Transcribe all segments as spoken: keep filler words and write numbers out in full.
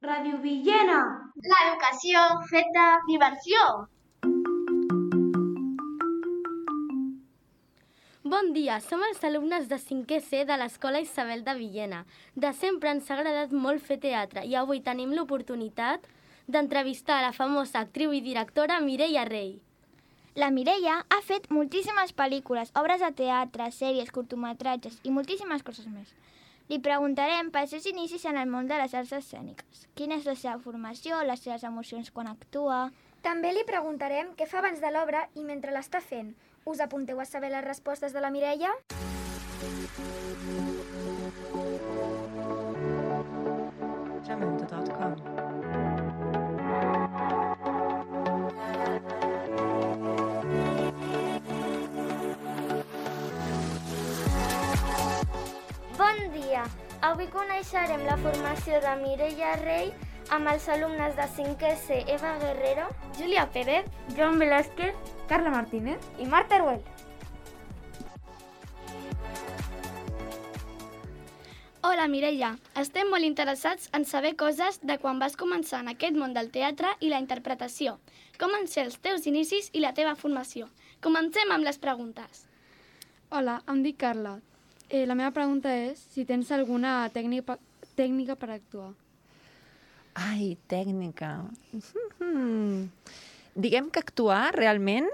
Ràdio Villena! L'educació feta diversió! Bon dia, som els alumnes de cinquè C de l'Escola Isabel de Villena. De sempre ens ha agradat molt fer teatre i avui tenim l'oportunitat d'entrevistar la famosa actriu i directora Mireia Rey. La Mireia ha fet moltíssimes pel·lícules, obres de teatre, sèries, curtmetratges i moltíssimes coses més. Li preguntarem pels seus inicis en el món de les arts escèniques. Quina és la seva formació, les seves emocions quan actua... També li preguntarem què fa abans de l'obra i mentre l'està fent. Us apunteu a saber les respostes de la Mireia? jamendo punt com Bon dia! Avui coneixerem la formació de Mireia Rey amb els alumnes de cinquè C Eva Guerrero, Júlia Pérez, Joan Velázquez, Carla Martínez i Marta Teruel. Hola Mireia, estem molt interessats en saber coses de quan vas començar en aquest món del teatre i la interpretació. Com van ser els teus inicis i la teva formació? Comencem amb les preguntes. Hola, em dic Carla. Eh, la meva pregunta és si tens alguna tècnica, tècnica per actuar. Ai, tècnica. Mm-hmm. Diguem que actuar realment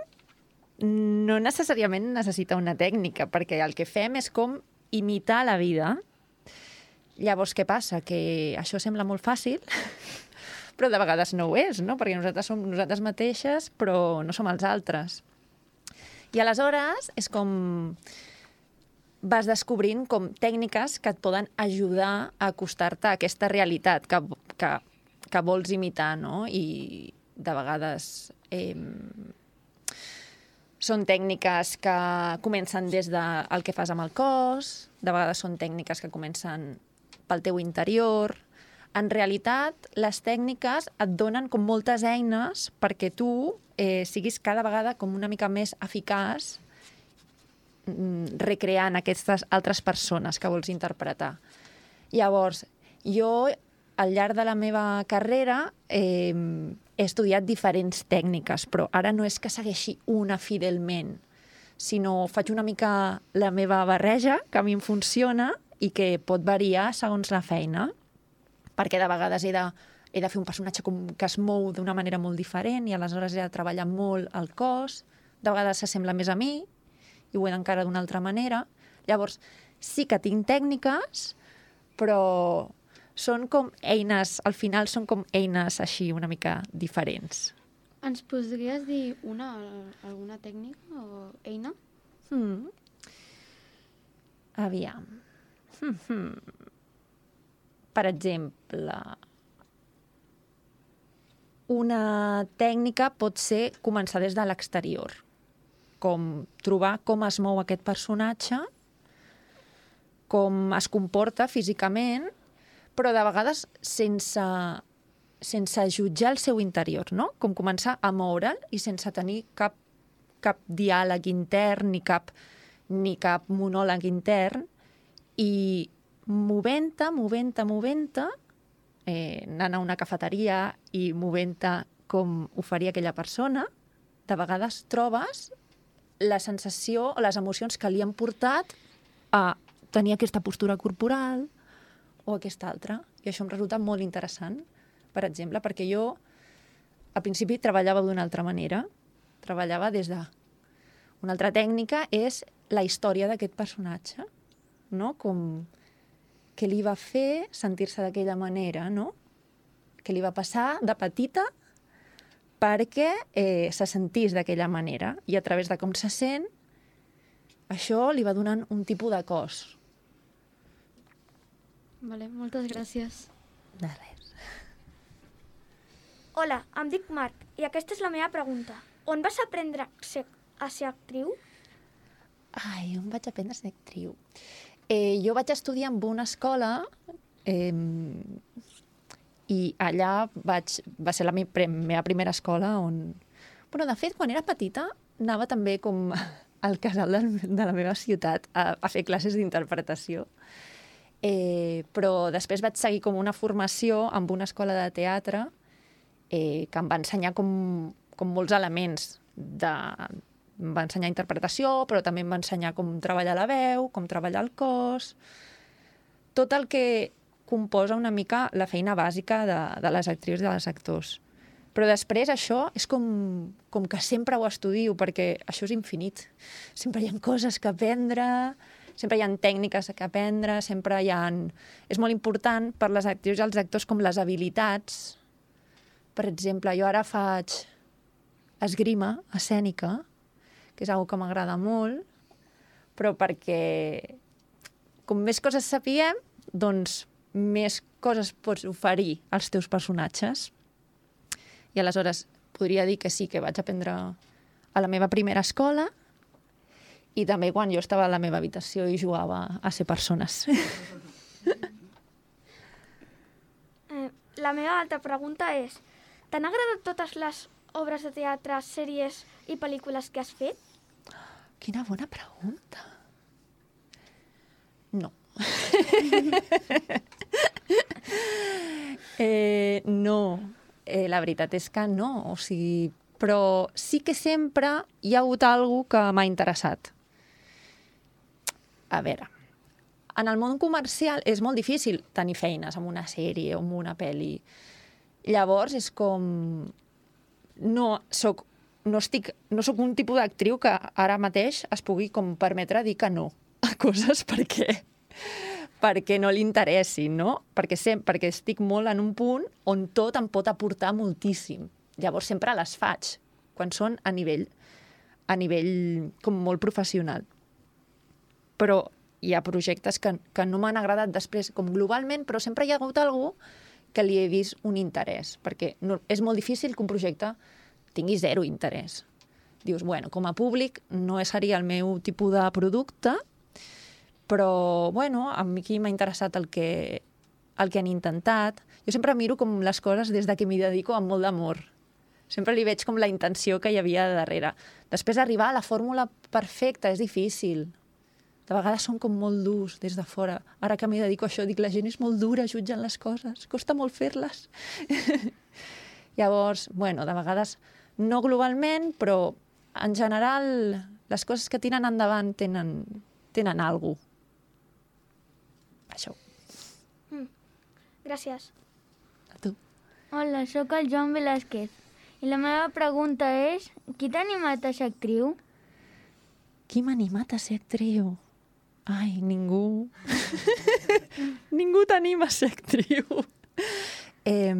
no necessàriament necessita una tècnica, perquè el que fem és com imitar la vida. Llavors, què passa? Que això sembla molt fàcil, però de vegades no ho és, no? Perquè nosaltres som nosaltres mateixes, però no som els altres. I aleshores és com... vas descobrint com tècniques que et poden ajudar a acostar-te a aquesta realitat que, que, que vols imitar, no? I de vegades eh, són tècniques que comencen des del que fas amb el cos, de vegades són tècniques que comencen pel teu interior. En realitat, les tècniques et donen com moltes eines perquè tu eh, siguis cada vegada com una mica més eficaç recreant aquestes altres persones que vols interpretar. Llavors, jo, al llarg de la meva carrera, eh, he estudiat diferents tècniques, però ara no és que segueixi una fidelment, sinó faig una mica la meva barreja, que a mi em funciona i que pot variar segons la feina, perquè de vegades he de, he de fer un personatge com que es mou d'una manera molt diferent i aleshores he de treballar molt el cos, de vegades s'assembla més a mi, i ho he d'encarar d'una altra manera. Llavors, sí que tinc tècniques, però són com eines, al final són com eines així una mica diferents. Ens podries dir una, alguna tècnica o eina? Hmm. Aviam. Hmm, hmm. Per exemple, una tècnica pot ser començar des de l'exterior, com trobar com es mou aquest personatge, com es comporta físicament, però de vegades sense, sense jutjar el seu interior, no? Com començar a moure'l i sense tenir cap, cap diàleg intern ni cap, ni cap monòleg intern, i movent-te, movent-te, movent-te, eh, anant a una cafeteria i movent-te com ho faria aquella persona, de vegades trobes la sensació o les emocions que li han portat a tenir aquesta postura corporal o aquesta altra. I això em resulta molt interessant, per exemple, perquè jo al principi treballava d'una altra manera. Treballava des de... Una altra tècnica és la història d'aquest personatge, no? Com què li va fer sentir-se d'aquella manera, no? Què li va passar de petita perquè eh, se sentís d'aquella manera. I a través de com se sent, això li va donant un tipus de cos. Vale, moltes gràcies. De res. Hola, em dic Marc i aquesta és la meva pregunta. On vas aprendre a ser, a ser actriu? Ai, on vaig aprendre a ser actriu? Eh, jo vaig estudiar en una escola... Eh, i allà vaig, va ser la meva primera escola on... Bueno, de fet, quan era petita, anava també com al casal de la meva ciutat a, a fer classes d'interpretació. Eh, però després vaig seguir com una formació amb una escola de teatre eh, que em va ensenyar com, com molts elements. De, em va ensenyar interpretació, però també em va ensenyar com treballar la veu, com treballar el cos, tot el que composa una mica la feina bàsica de, de les actrius i de les actors. Però després això és com, com que sempre ho estudio, perquè això és infinit. Sempre hi ha coses que aprendre, sempre hi ha tècniques que aprendre, sempre hi ha... És molt important per les actrius i els actors com les habilitats. Per exemple, jo ara faig esgrima escènica, que és una que m'agrada molt, però perquè com més coses sapiguem, doncs més coses pots oferir als teus personatges. I aleshores podria dir que sí, que vaig aprendre a la meva primera escola i també quan jo estava a la meva habitació i jugava a ser persones. Eh, la meva altra pregunta és: t'han agradat totes les obres de teatre, sèries i pel·lícules que has fet? Quina bona pregunta. No. eh, no. Eh, la veritat és que no. O sigui, però sí que sempre hi ha hagut alguna que m'ha interessat. A veure, en el món comercial és molt difícil tenir feines amb una sèrie o amb una pel·li. Llavors és com... No soc, no estic, no soc un tipus d'actriu que ara mateix es pugui com permetre dir que no a coses perquè, perquè no li interessin, no? Perquè, sem, perquè estic molt en un punt on tot em pot aportar moltíssim. Llavors sempre les faig, quan són a nivell, a nivell com molt professional. Però hi ha projectes que, que no m'han agradat després, com globalment, però sempre hi ha hagut algú que li he vist un interès, perquè no, és molt difícil que un projecte tingui zero interès. Dius, bueno, com a públic no seria el meu tipus de producte, però, bueno, a mi aquí m'ha interessat el que, el que han intentat. Jo sempre miro com les coses des de que m'hi dedico amb molt d'amor. Sempre li veig com la intenció que hi havia darrere. Després arribar a la fórmula perfecta és difícil. De vegades són com molt durs des de fora. Ara que m'hi dedico a això, dic, la gent és molt dura jutjant les coses, costa molt fer-les. Llavors, bueno, de vegades no globalment, però en general les coses que tiren endavant tenen, tenen alguna cosa. Això. Mm. Gràcies. A tu. Hola, sóc el Joan Velázquez. I la meva pregunta és, qui t'ha animat a ser actriu? Qui m'ha animat a ser actriu? Ai, ningú. Ningú t'anima a ser actriu. Eh,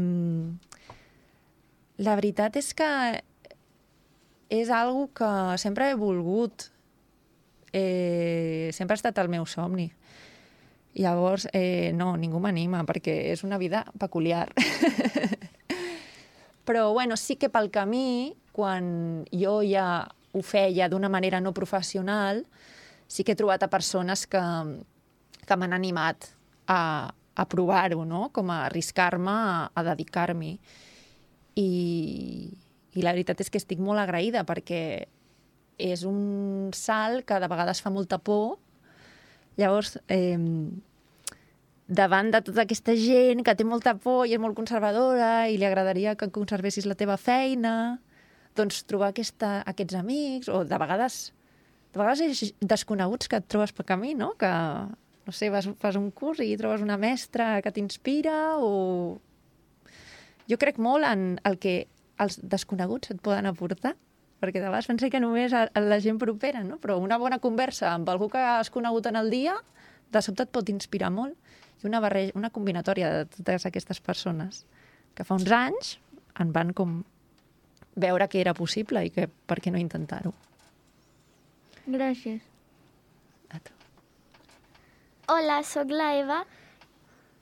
la veritat és que és algo que sempre he volgut. Eh, sempre ha estat el meu somni. Llavors, eh, no, ningú m'anima, perquè és una vida peculiar. Però, bueno, sí que pel camí, quan jo ja ho feia d'una manera no professional, sí que he trobat a persones que, que m'han animat a, a provar-ho, no? Com a arriscar-me a, a dedicar-m'hi. I, I la veritat és que estic molt agraïda perquè és un salt que de vegades fa molta por. Llavors, eh, davant de tota aquesta gent que té molta por i és molt conservadora i li agradaria que conservessis la teva feina, doncs trobar aquesta, aquests amics, o de vegades, de vegades és desconeguts que et trobes per camí, no? Que, no sé, vas, fas un curs i trobes una mestra que t'inspira, o... Jo crec molt en el que els desconeguts et poden aportar, perquè de vegades penso que només a, a la gent propera, no? Però una bona conversa amb algú que has conegut en el dia, de sobte et pot inspirar molt. I una, barreja, una combinatòria de totes aquestes persones que fa uns anys en van com veure que era possible i que per què no intentar-ho. Gràcies. A tu. Hola, sóc la Eva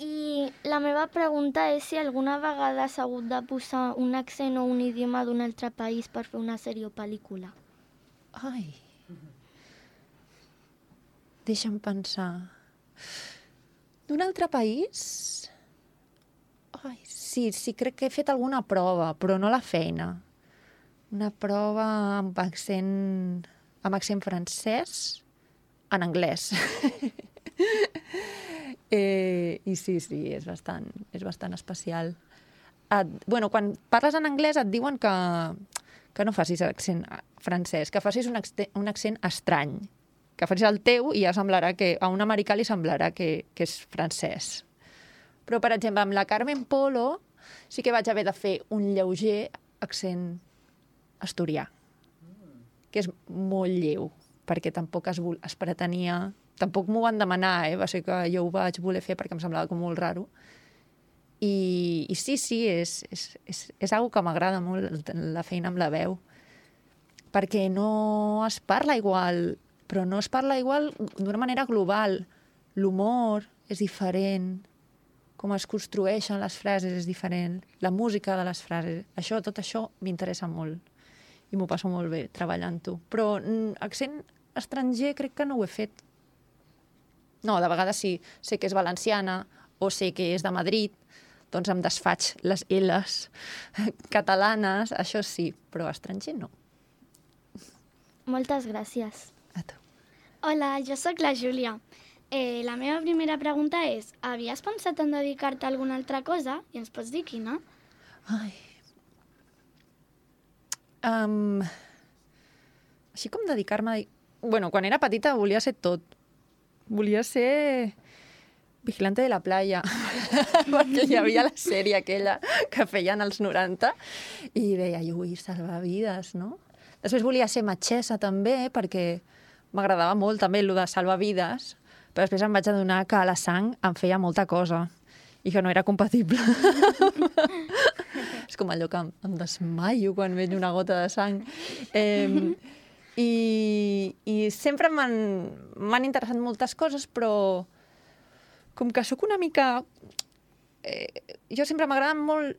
i la meva pregunta és si alguna vegada has hagut de posar un accent o un idioma d'un altre país per fer una sèrie o pel·lícula. Ai. Deixa'm pensar. D'un altre país? Ai, sí, sí, crec que he fet alguna prova, però no la feina. Una prova amb accent, amb accent francès en anglès. Eh, I sí, sí, és bastant, és bastant especial. Et, bueno, quan parles en anglès et diuen que, que no facis l'accent francès, que facis un, un accent estrany, que facis el teu i ja semblarà que a un americà li semblarà que, que és francès. Però, per exemple, amb la Carmen Polo sí que vaig haver de fer un lleuger accent asturià, que és molt lleu, perquè tampoc es, es pretenia... Tampoc m'ho van demanar, eh? Va ser que jo ho vaig voler fer perquè em semblava com molt raro. I, i sí, sí, és, és, és, és una que m'agrada molt, la feina amb la veu. Perquè no es parla igual, però no es parla igual d'una manera global. L'humor és diferent, com es construeixen les frases és diferent, la música de les frases. Això, tot això m'interessa molt i m'ho passo molt bé treballant-ho. Però mm, accent estranger crec que no ho he fet. No, de vegades sí, sé que és valenciana o sé que és de Madrid, doncs em desfaig les L's catalanes, això sí, però estranger no. Moltes gràcies. A tu. Hola, jo sóc la Júlia. Eh, la meva primera pregunta és, havies pensat en dedicar-te a alguna altra cosa? I ens pots dir quina? Ai. Um, així com dedicar-me... A... Bueno, quan era petita volia ser tot. Volia ser vigilante de la playa, perquè hi havia la sèrie aquella que feien als noranta i deia, jo vull salvar vides, no? Després volia ser metgessa també, perquè m'agradava molt també el de salvar vides, però després em vaig adonar que la sang em feia molta cosa i que no era compatible. És com allò que em, em desmaio quan veig una gota de sang. Eh, I, i sempre m'han interessat moltes coses, però com que sóc una mica... Eh, jo sempre m'agraden molt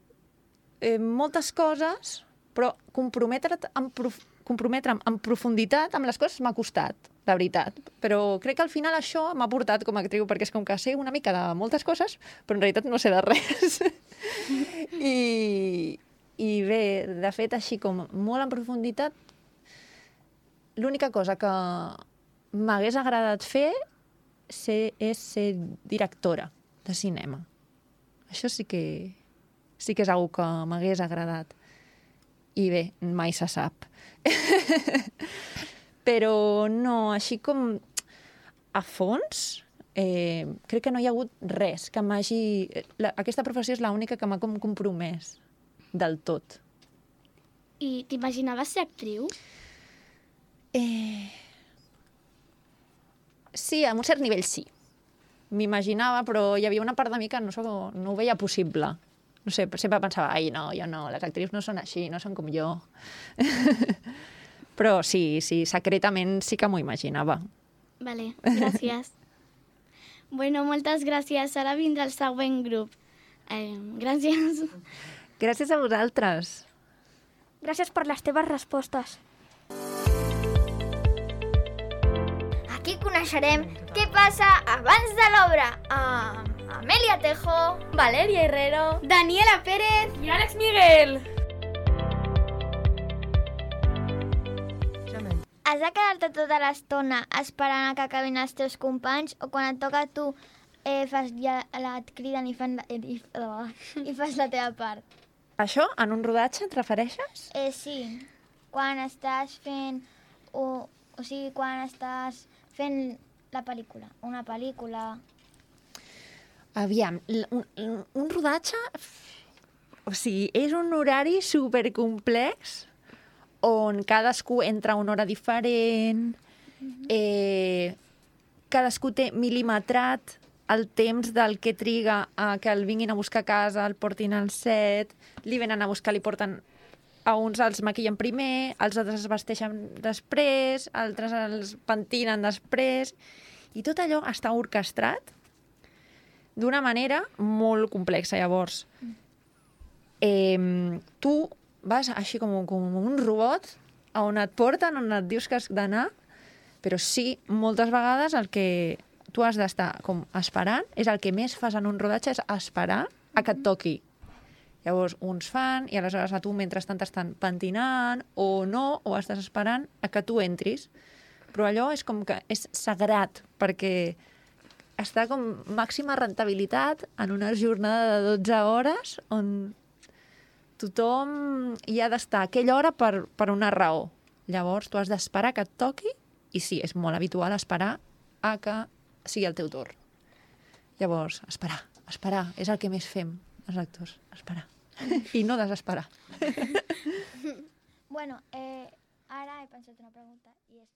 eh, moltes coses, però comprometre't en, prof, comprometre'm en profunditat amb les coses m'ha costat, de veritat. Però crec que al final això m'ha portat com a actriu, perquè és com que sé una mica de moltes coses, però en realitat no sé de res. I, I bé, de fet, així com molt en profunditat, l'única cosa que m'hagués agradat fer ser, és ser directora de cinema. Això sí que, sí que és una que m'hagués agradat. I bé, mai se sap. Però no, així com a fons, eh, crec que no hi ha hagut res que m'hagi... La, aquesta professió és l'única que m'ha com compromès del tot. I t'imaginaves ser actriu? Eh... Sí, a un cert nivell sí. M'imaginava, però hi havia una part de mi que no, no ho veia possible. No sé, sempre pensava, ai, no, jo no, les actrius no són així, no són com jo. Però sí, sí, secretament sí que m'ho imaginava. Vale, gràcies. Bueno, moltes gràcies. Ara vindrà el següent grup. Eh, gràcies. Gràcies a vosaltres. Gràcies per les teves respostes. Aquí coneixerem què passa abans de l'obra amb Amèlia Tejo, Valeria Herrero, Daniela Pérez I Àlex Miguel. has de quedar-te tota l'estona esperant a que acabin els teus companys o quan et toca a tu eh, fas ja la, et criden i, fan la, i, i, i fas la teva part? Això, en un rodatge, et refereixes? Eh, sí, quan estàs fent... O, o sigui, quan estàs fent la pel·lícula, una pel·lícula... Aviam, un, un rodatge... O sigui, és un horari supercomplex on cadascú entra a una hora diferent, mm-hmm. eh, cadascú té mil·limetrat el temps del que triga a que el vinguin a buscar a casa, el portin al set, li venen a buscar, li porten... A uns els maquillen primer, els altres es vesteixen després, altres els pentinen després, i tot allò està orquestrat d'una manera molt complexa. Llavors, eh, tu vas així com, com un robot a on et porten, on et dius que has d'anar, però sí, moltes vegades el que tu has d'estar com esperant és el que més fas en un rodatge, és esperar a que et toqui. Llavors, uns fan, i aleshores a tu mentrestant t'estan pentinant, o no, o estàs esperant a que tu entris. Però allò és com que és sagrat, perquè està com màxima rentabilitat en una jornada de dotze hores on tothom hi ha d'estar a aquella hora per, per una raó. Llavors, tu has d'esperar que et toqui i sí, és molt habitual esperar a que sigui el teu torn. Llavors, esperar, esperar, és el que més fem els actors, esperar. I no desesperar. Bueno, eh, ara he pensat una pregunta i és